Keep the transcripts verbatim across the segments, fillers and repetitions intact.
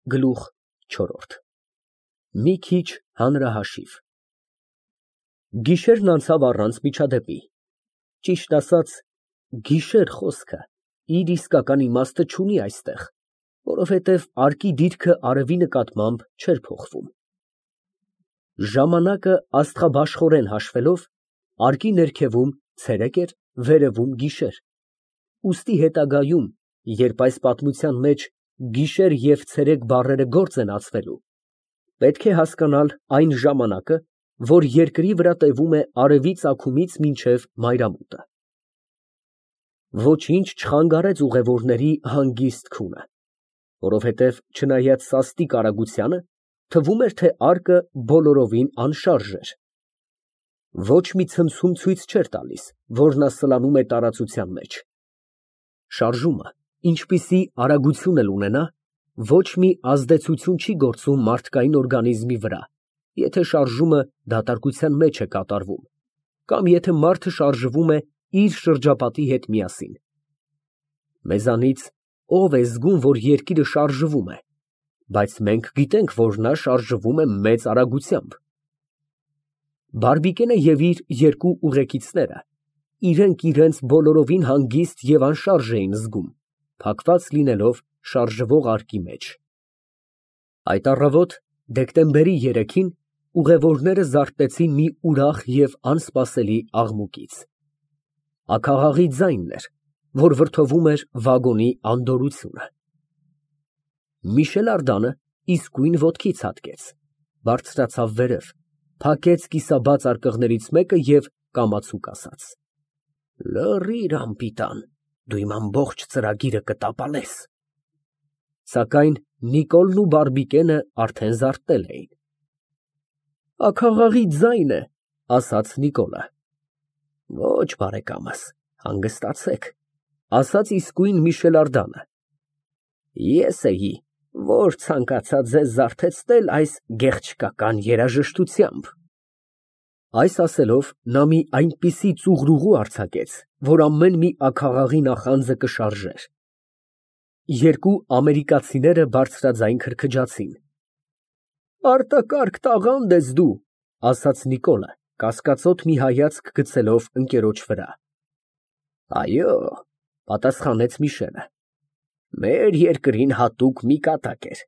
Գլուխ չորրորդ ՄԻ ՔԻՉ ՀԱՆՐԱՀԱՇԻՎ Գիշերն անցավ առանց միջադեպի, ճիշտ ասած, գիշեր խոսքը իր իսկական իմաստը չունի այստեղ, որովհետև արկի դիրքը արևի նկատմամբ չէր փոխվում։ Ժամանակը աստղաբաշխորեն հաշվելով, արկի ներքևում ցերեկ էր, վերևում գիշեր, ուստի հետագայում, երբ այս պատմության մեջ գիշեր և ցերեկ բառերը գործ են ածվելու, պետք է հասկանալ այն ժամանակը, որ երկրի վրա տևում է արևի ծագումից մինչև մայրամուտը։ Ոչինչ չխանգարեց ուղևորների հանգիստ քունը, որովհետև չնայած սաստիկ արագությանը, թվում էր, թե արկը բոլորովին անշարժ էր։ Ոչ մի ցնցում ցույց չէր տալիս, որ նա սլանում է տարածության մեջ։ Շարժումը, ինչպիսի արագություն էլ ունենա, ոչ մի ազդեցություն չի գործում մարդկային օրգանիզմի վրա, եթե շարժումը դատարկության մեջ է կատարվում, կամ եթե մարդը շարժվում է իր շրջապատի հետ միասին։ Մեզանից ո՞վ է զգում, որ երկիրը շարժվում է, բայց մենք գիտենք, որ նա շարժվում է մեծ արագությամբ։ Բարբիկենը և իր երկու ուղեկիցները իրենք իրենց բոլորովին հանգիստ և անշարժ էին զգում, փակված լինելով շարժվող արկի մեջ։ Այդ առավոտ, դեկտեմբերի երեքին, ուղևորները զարթնեցին մի ուրախ և անսպասելի աղմուկից։ Աքաղաղի ձայնն էր, որ վրդովում էր վագոնի անդորրությունը։ Միշել Ардանը իսկույն ոտքի ցատկեց, բարձրացավ վերև, փակեց կիսաբաց արկղներից մեկը և կամացուկ ասաց. «Լռիր, անպիտան, դու իմ ամբողջ ծրագիրը կտապալես»։ Սակայն Նիկոլն ու Բարբիկենը արդեն զարթնել էին։ «Աքաղաղի ձայն է», ասաց Նիկոլը։ «Ոչ, բարեկամս, հանգստացեք», ասաց իսկույն Միշել Ардանը։ «Ես էի, որ ցանկացա ձեզ զարթեցնել այս գեղչկական երաժշտությամբ»։ Այս ասելով, նա մի այնպիսի ծուղրուղու արձակեց, որ ամեն մի աքաղաղի նախանձը կշարժեր։ Երկու ամերիկացիները բարձրաձայն քրքջացին։ «Արտակարգ տաղանդ ես դու», ասաց Նիկոլը, կասկածոտ մի հայացք գցելով ընկերոջ վրա։ «Այո», պատասխանեց Միշելը, «մեր երկրին հատուկ մի կատակ էր։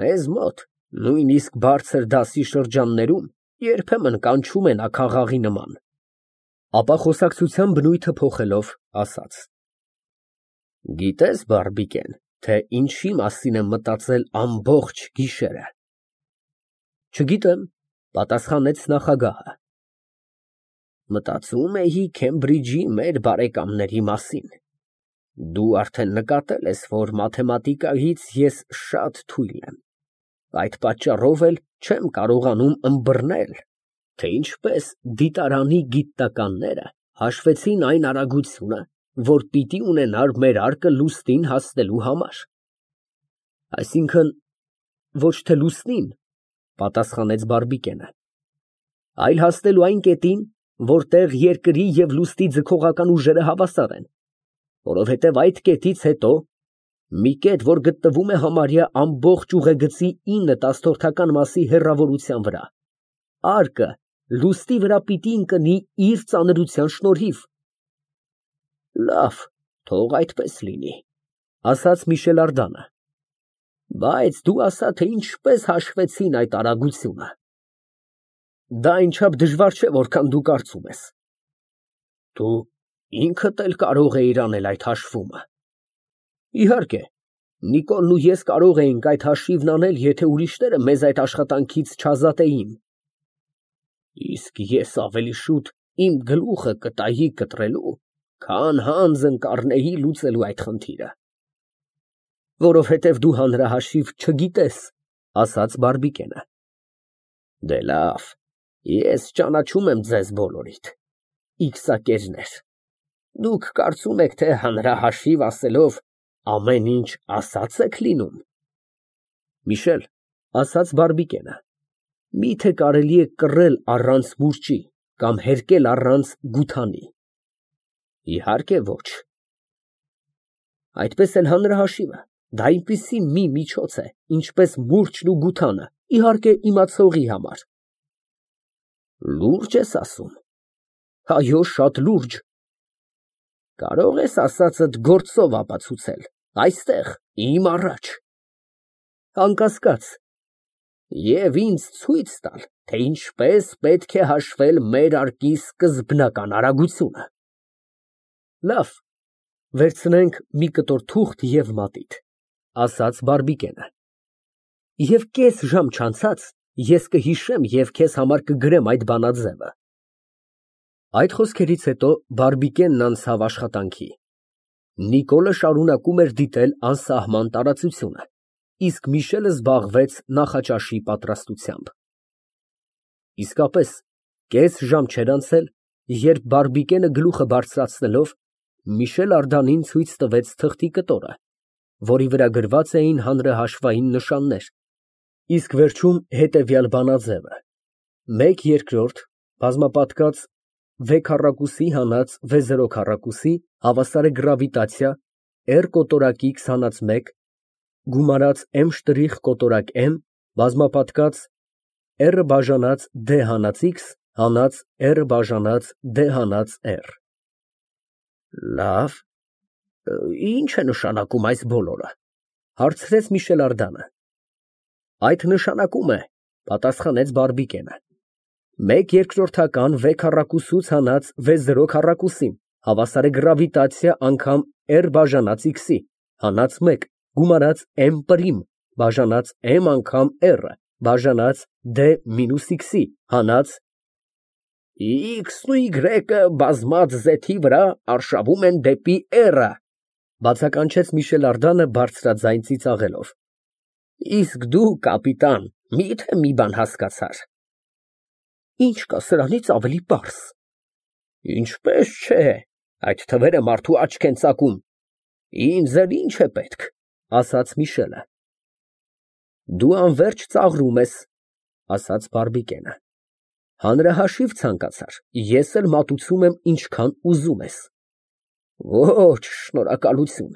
Մեզ մոտ, նույնիսկ բարձր դասի շրջաններում, երբեմն կանչում են աքաղաղի նման»։ Ապա խոսակցության բնույթը փոխելով, ասաց. «Գիտես, Բարբիկեն, թե ինչի մասին եմ մտածել ամբողջ գիշերը»։ «Չգիտեմ», պատասխանեց նախագահը։ «Մտածում էի Քեմբրիջի մեր բարեկամների մասին։ Դու արդեն նկատել ես, որ մաթեմատիկայից ես շատ թույլ եմ, այդ պատճառով էլ չեմ կարողանում ըմբռնել, թե ինչպես դիտարանի գիտնականները հաշվեցին այն արագությունը, որ պիտի ունենար մեր արկը լուսնին հասնելու համար»։ «Այսինքն, ոչ թե լուսնին», պատասխանեց Բարբիկենը, «այլ հասնելու այն կետին, որտեղ երկրի և լուսնի ձգողական ուժերը հավասար են, որովհետև այդ կետից հետո, մի կետ, որ գտնվում է համարյա ամբողջ ուղեգծի ինը տասնորդական մասի հեռավորության վրա, արկը լուսնի վրա պիտի ընկնի իր ծանրության շնորհիվ»։ «Լավ, թող այդպես լինի», ասաց Միշել Ардանը, «բայց դու ասա, թե ինչպես հաշվեցին այդ արագությունը»։ «Դա այնչափ դժվար չէ, որքան դու կարծում ես»։ «Դու ինքդ էլ կարող էիր անել այդ հաշվումը»։ «Իհարկե, Նիկոլն ու ես կարող էինք այդ հաշիվն անել, եթե ուրիշները մեզ այդ աշխատանքից չազատեին»։ «Իսկ ես ավելի շուտ իմ գլուխը կտայի կտրելու, քան հանձն կառնեի լուծելու այդ խնդիրը»։ «Որովհետև դու հանրահաշիվ չգիտես», ասաց Բարբիկենը։ «Դե լավ, ես ճանաչում եմ ձեզ բոլորիդ, իքսակերներ, դուք կարծում եք, թե հանրահաշիվ ասելով ամեն ինչ ասած եք լինում»։ «Միշել», ասաց Բարբիկենը, «միթե կարելի է կռել առանց մուրճի կամ հերկել առանց գութանի»։ «Իհարկե ոչ»։ «Այդպես էլ հանրահաշիվը Դա այնպիսի մի միջոց է, ինչպես մուրճն ու գութանը, իհարկե, իմացողի համար։ Լուրջ ես ասում։ Այո, շատ լուրջ։ Կարող ես ասածդ գործով ապացուցել, այստեղ, իմ առաջ։ Անկասկած։ Եվ ինձ ցույց տալ, թե ինչպես պետք է հաշվել մեր արկի սկզբնական արագությունը։ Լավ, վերցնենք մի կտոր թուղթ և մատիտ, ասաց Բարբիկենը, և կես ժամ չանցած ես կհիշեմ և քեզ համար կգրեմ այդ բանաձևը։ Այդ խոսքերից հետո Բարբիկենն անցավ աշխատանքի։ Նիկոլը շարունակում էր դիտել անսահման տարածությունը, իսկ Միշելը զբաղվեց նախաճաշի պատրաստությամբ։ Իսկապես, կես ժամ չէր անցել, երբ Բարբիկենը գլուխը բարձրացնելով Միշել Անդրանին ցույց տվեց թղթի կտորը, որի վրա գրված էին հանրահաշվային նշաններ, իսկ վերջում հետևյալ բանաձևը. մեկ երկրորդ բազմապատկած վե քառակուսի հանած վե զրո քառակուսի հավասար է գրավիտացիա R կոտորակի քսանած մեկ գումարած M շտրիխ կոտորակ M բազմապատկած R բաժանած D հանած X հանած R բաժանած D հանած R։ Լավ, ի՞նչ է նշանակում այս բոլորը, հարցրեց Միշել Անդրանը։ Այդ նշանակում է, պատասխանեց Բարբիկենը, մեկ երկրորդական վե քառակուսուց հանած վե զրո քառակուսին հավասար է գրավիտացիա անգամ R բաժանած X-ի հանած մեկ գումարած M պրիմ բաժանած M անգամ R բաժանած D մինուս X-ի հանած X-ն ու Y-ը բազմած զեթի վրա արշավում են դեպի R-ը, բացականչեց Միշել Անդրանը բարձրաձայն ծիծաղելով։ Իսկ դու, կապիտան, մի՞թե մի բան հասկացար։ Ինչ կա սրանից ավելի պարզ։ Ինչպես չէ, այդ թվերը մարդու աչք են ծակում։ Ինձ էլ ինչ է պետք, ասաց Միշելը։ Դու անվերջ ծաղրում ես, ասաց Բարբիկենը։ Հանրահաշիվ ցանկացար, ես էլ մատուցում եմ ինչքան ուզում ես։ Ոչ, շնորհակալություն,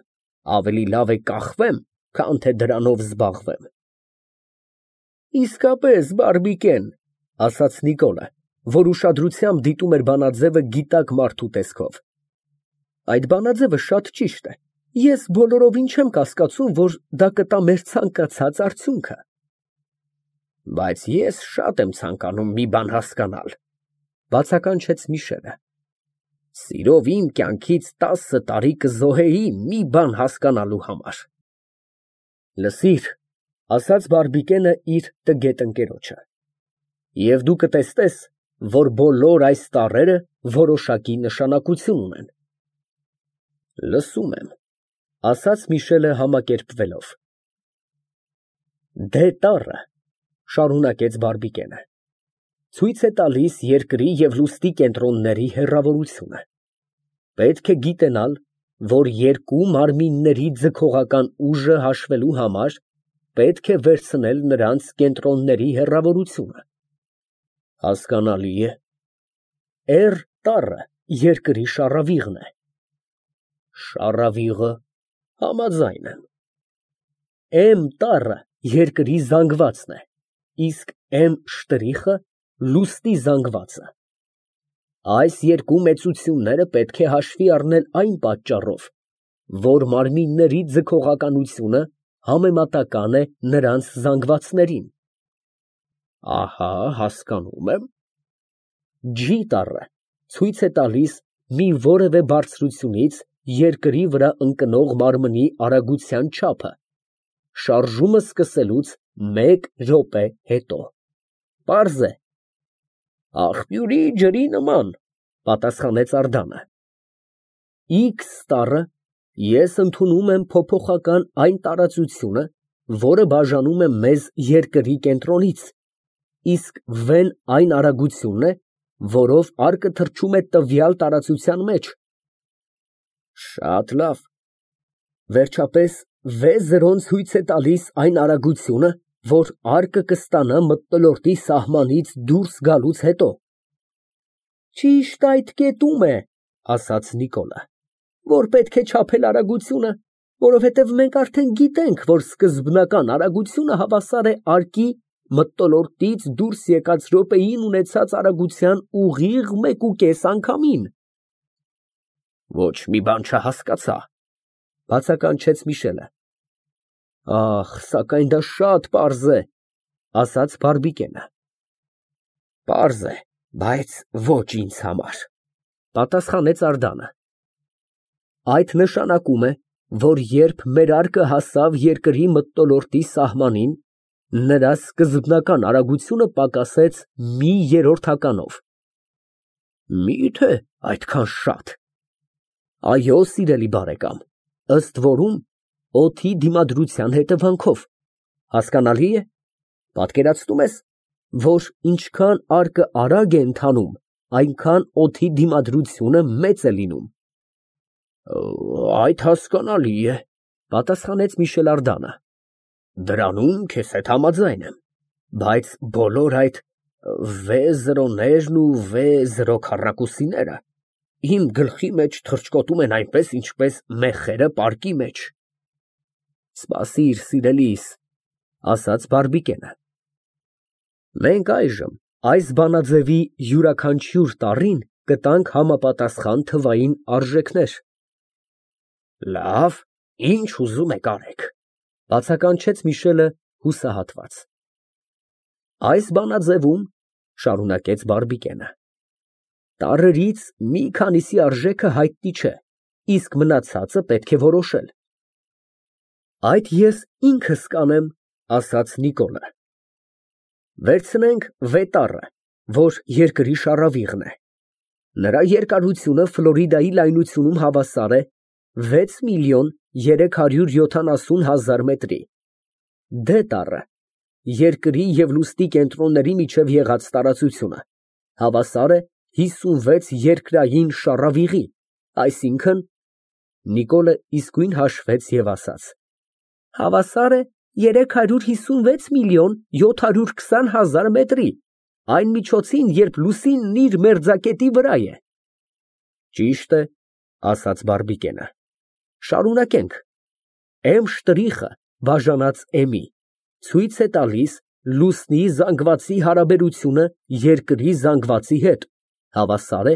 ավելի լավ է կախվեմ, քան թե դրանով զբաղվեմ։ Իսկապես, Բարբիկեն, ասաց Նիկոլը, որ ուշադրությամբ դիտում էր բանաձևը գիտակ մարդու տեսքով։ Այդ բանաձևը շատ ճիշտ է, ես բոլորովին չեմ կասկածում, որ դա կտա մեր ցանկացած արդյունքը։ Բայց ես շատ եմ ցանկանում մի բան հասկանալ, բացականչեց Միշելը։ Սիրով իմ կյանքից տասը տարի կզոհեի մի բան հասկանալու համար։ Լսիր, ասաց Բարբիկենը իր տգետ ընկերոջը, և դու կտեսնես, որ բոլոր այս տառերը որոշակի նշանակություն ունեն։ Լսում եմ, ասաց Միշելը համակերպվելով։ Դե տառը, շարունակեց Բարբիկենը, ցույց է տալիս երկրի և լուսնի կենտրոնների հեռավորությունը։ Պետք է գիտենալ, որ երկու մարմինների ձգողական ուժը հաշվելու համար պետք է վերցնել նրանց կենտրոնների հեռավորությունը։ Հասկանալի է։ R տառը երկրի շառավիղն է։ Շառավիղը, համաձայն եմ։ M տառը երկրի զանգվածն է, իսկ M շտրիխը լուսնի զանգվածը։ Այս երկու մեծությունները պետք է հաշվի առնել այն պատճառով, որ մարմինների ձգողականությունը համեմատական է նրանց զանգվածներին։ Ահա, հասկանում եմ։ G տառը ցույց է տալիս մի որևէ բարձրությունից երկրի վրա ընկնող մարմնի արագության չափը, շարժումը սկսելուց մեկ րոպե հետո։ Պարզ է։ Աղբյուրի ջրի նման, պատասխանեց Անդրանը։ X տառը ես ընդունում եմ փոփոխական այն տարածությունը, որը բաժանում է մեզ երկրի կենտրոնից, իսկ V-ն այն արագությունն է, որով արկը թռչում է տվյալ տարածության մեջ։ Շատ լավ։ Վերջապես V զրոն ցույց է տալիս այն արագությունը, որ արկը կստանա մթնոլորտի սահմանից դուրս գալուց հետո։ Ճիշտ այդ կետում է, ասաց Նիկոլը, որ պետք է չափել արագությունը, Որովհետև մենք արդեն գիտենք, որ սկզբնական արագությունը հավասար է արկի մթնոլորտից դուրս եկած րոպեին ունեցած արագության ուղիղ մեկուկես անգամին։ Ոչ մի բան չհասկացա, բացականչեց Միշելը։ Ախ, սակայն դա շատ պարզ է, ասաց Բարբիկենը։ Պարզ է, բայց ոչ ինձ համար, պատասխանեց Անդանը։ Այդ նշանակում է, որ երբ մեր արկը հասավ երկրի մթնոլորտի սահմանին, նրա սկզբնական արագությունը պակասեց մի երրորդականով։ Մի՞թե այդքան շատ։ Այո, սիրելի բարեկամ, ըստ որում օդի դիմադրության հետևանքով, հասկանալի է, պատկերացնում ես, որ ինչքան արկը արագ է ընթանում, այնքան օդի դիմադրությունը մեծ է լինում։ Այդ հասկանալի է, պատասխանեց Միշել Անդանը։ Դրանում քեզ հետ համաձայն եմ, բայց բոլոր այդ վե զրոներն ու վե զրո քառակուսիները իմ գլխի մեջ թռչկոտում են այնպես, ինչպես մեխերը պարկի մեջ։ Սպասիր, սիրելիս, ասաց Բարբիկենը։ Մենք այժմ այս բանաձևի յուրաքանչյուր տառին կտանք համապատասխան թվային արժեքներ։ Լավ, ինչ ուզում եք արեք, բացականչեց Միշելը հուսահատված։ Այս բանաձևում, շարունակեց Բարբիկենը, տառերից մի քանիսի արժեքը հայտնի չէ, իսկ մնացածը պետք է որոշել։ Այդ ես ինքս կանեմ, ասաց Նիկոլը։ Վերցնենք վետառը, որ երկրի շառավիղն է։ Նրա երկարությունը Ֆլորիդայի լայնությունում հավասար է վեց միլիոն երեք հարյուր յոթանասուն հազար մետրի։ Դե տառը, երկրի և լուսնի կենտրոնների միջև եղած տարածությունը, հավասար է հիսունվեց երկրային շառավիղի, այսինքն, Նիկոլը իսկույն հաշվեց և ասաց. հավասար է երեք հարյուր հիսունվեց միլիոն յոթ հարյուր քսան հազար մետրի, այն միջոցին, երբ լուսինն իր մերձակետի վրա է։ Ճիշտ է, ասաց Բարբիկենը։ Շարունակենք։ M շտրիխը բաժանած M-ի ցույց է տալիս լուսնի զանգվածի հարաբերությունը երկրի զանգվածի հետ, հավասար է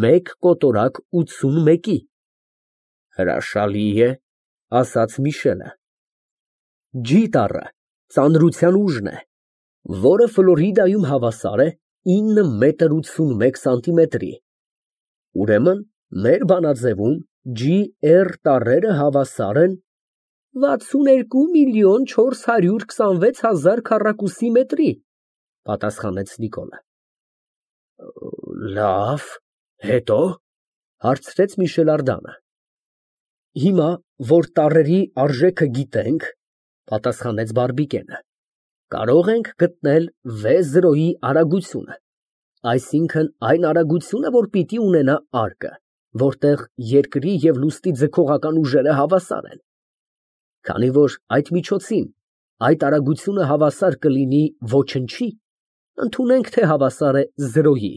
մեկ կոտորակ ութսունմեկի։ Հրաշալի է, ասաց Միշելը։ G տառը ծանրության ուժն է, որը Ֆլորիդայում հավասար է ինը մետր ութսունմեկ սանտիմետրի։ Ուրեմն մեր բանաձևում G R տառերը հավասար են վաթսունութ երկու միլիոն չորս հարյուր քսանվեց հազար քառակուսի մետրի, պատասխանեց Նիկոլը։ Լավ, հետո, հարցրեց Միշել Անդանը։ Հիմա, որ տառերի արժեքը գիտենք, պատասխանեց Բարբիկենը, կարող ենք գտնել վե զրոյի արագությունը, այսինքն այն արագությունը, որ պիտի ունենա արկը, որտեղ երկրի և լուսնի ձգողական ուժերը հավասար են։ Քանի որ այդ միջոցին այդ արագությունը հավասար կլինի ոչնչի, ընդունենք, թե հավասար է զրոյի,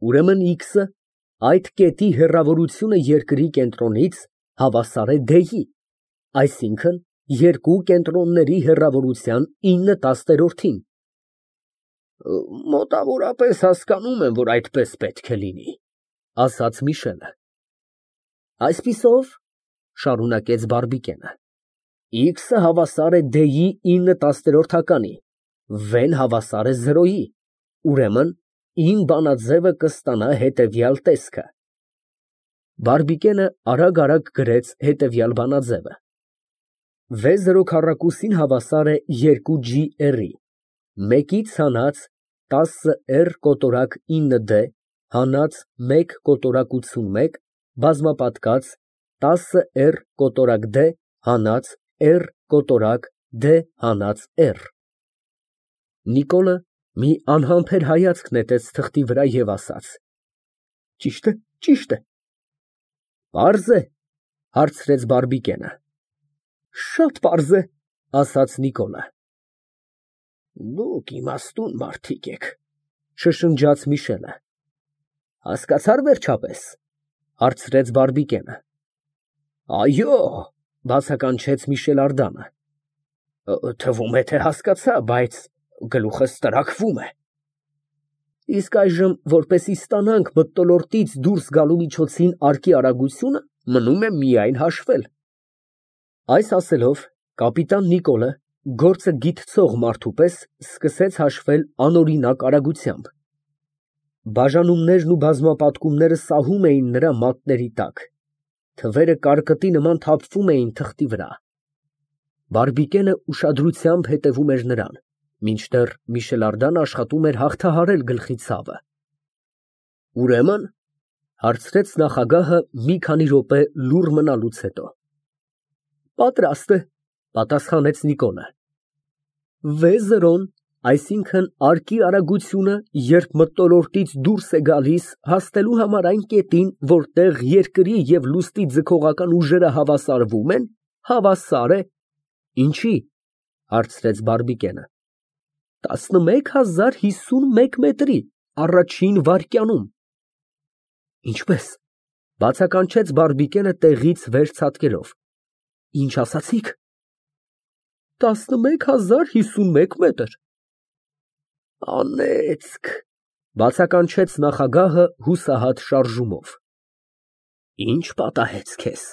ուրեմն X-ը, այդ կետի հեռավորությունը երկրի կենտրոնից հավասար է D-ի, այսինքն երկու կենտրոնների հեռավորության ինը տասներորդին։ Մոտավորապես հասկանում եմ, որ այդպես պետք է լինի, ասաց Միշելը։ Այսպիսով, շարունակեց Բարբիկենը, X-ը հավասար է D-ի ինը տասներորդականի, V-ն հավասար է զրոյի, ուրեմն իմ բանաձևը կստանա հետևյալ տեսքը։ Բարբիկենը արագ-արագ գրեց հետևյալ բանաձևը։ V զրո քառակուսին հավասար է երկու G R-ի, մեկից հանած տասը R կոտորակ ինը D հանած մեկ կոտորակ ութսունմեկ բազմապատկած տասը R կոտորակ D հանած R կոտորակ D հանած R։ Նիկոլը մի անհամբեր հայացք նետեց թղթի վրա և ասաց. Ճիշտ է, ճիշտ է։ Պարզ է, հարցրեց Բարբիկենը։ Շատ պարզ է, ասաց Նիկոլը։ Դուք իմաստուն մարդիկ եք, շշնջաց Միշելը։ Հասկացա՞ր վերջապես, հարցրեց Բարբիկենը։ Այո, Բացականչեց Միշել Արդանը։ Թվում է, թե հասկացա, բայց գլուխս տրաքվում է։ Իսկ այժմ, որպեսզի ստանանք մթնոլորտից դուրս գալու միջոցին արկի արագությունը, մնում է միայն հաշվել։ Այս ասելով, կապիտան Նիկոլը, գործը գիտցող մարդու պես, սկսեց հաշվել անօրինակ արագությամբ։ Բաժանումներն ու բազմապատկումները սահում էին նրա մատների տակ, թվերը կարկտի նման թափվում էին թղթի վրա։ Բարբիկենը ուշադրությամբ հետևում էր նրան, մինչդեռ Միշել Արդանը աշխատում էր հաղթահարել գլխի ցավը։ Ուրեմն, հարցրեց նախագահը մի քանի րոպե լուռ մնալուց հետո։ Պատրաստ է, պատասխանեց Նիկոլը։ Վեզերոն, այսինքն արկի արագությունը, երբ մթնոլորտից դուրս է գալիս, հասնելու համար այն կետին, որտեղ երկրի և լուսնի ձգողական ուժերը հավասարվում են, հավասար է։ Ինչի՞, հարցրեց Բարբիկենը։ տասնմեկ հազար հիսուն մեկ մետրի, առաջին վայրկյանում։ Ինչպե՞ս, բացականչեց Բարբիկենը տեղից վեր ցատկելով։ Ինչ ասացիք։ տասնմեկ հազար հիսուն մեկ մետր։ Անեծք, բացականչեց նախագահը հուսահատ շարժումով։ Ինչ պատահեց քեզ,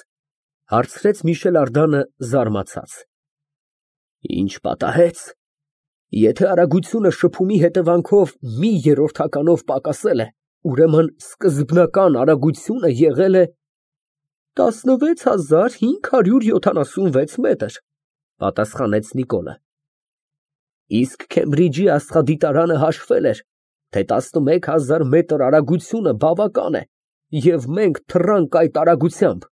հարցրեց Միշել Արդանը զարմացած։ Ինչ պատահեց։ Եթե արագությունը շփումի հետևանքով մի երրորդականով պակասել է, ուրեմն սկզբնական արագությունը եղել է տասնվեց հազար հինգ հարյուր յոթանասունվեց մետր, պատասխանեց Նիկոլը։ Իսկ Քեմբրիջի աստղադիտարանը հաշվել էր, թե տասնմեկ հազար մետր արագությունը բավական է, և մենք թռանք այդ արագությամբ։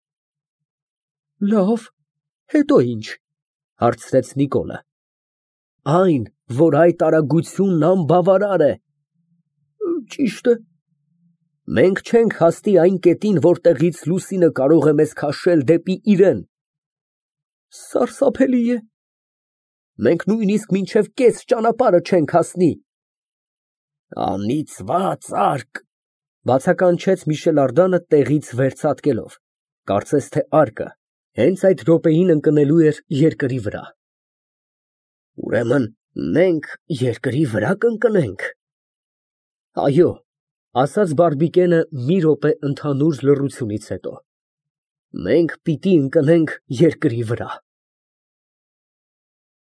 Լավ, հետո ինչ, հարցրեց Նիկոլը։ Այն, որ այդ արագությունն անբավարար է։ Ճիշտ է։ Մենք չենք հասնի այն կետին, որտեղից լուսինը կարող է մեզ քաշել դեպի իրեն։ Սարսափելի է։ Մենք նույնիսկ մինչև կես ճանապարհը չենք հասնի։ Անիծված արկ, բացականչեց Միշել Արդանը տեղից վեր ցատկելով, կարծես թե արկը հենց այդ րոպեին ընկնելու էր երկրի վրա։ Ուրեմն մենք երկրի վրա կընկնենք։ Այո, ասաց Բարբիկենը մի րոպե ընդհանուր լռությունից հետո։ Մենք պիտի ընկնենք երկրի վրա։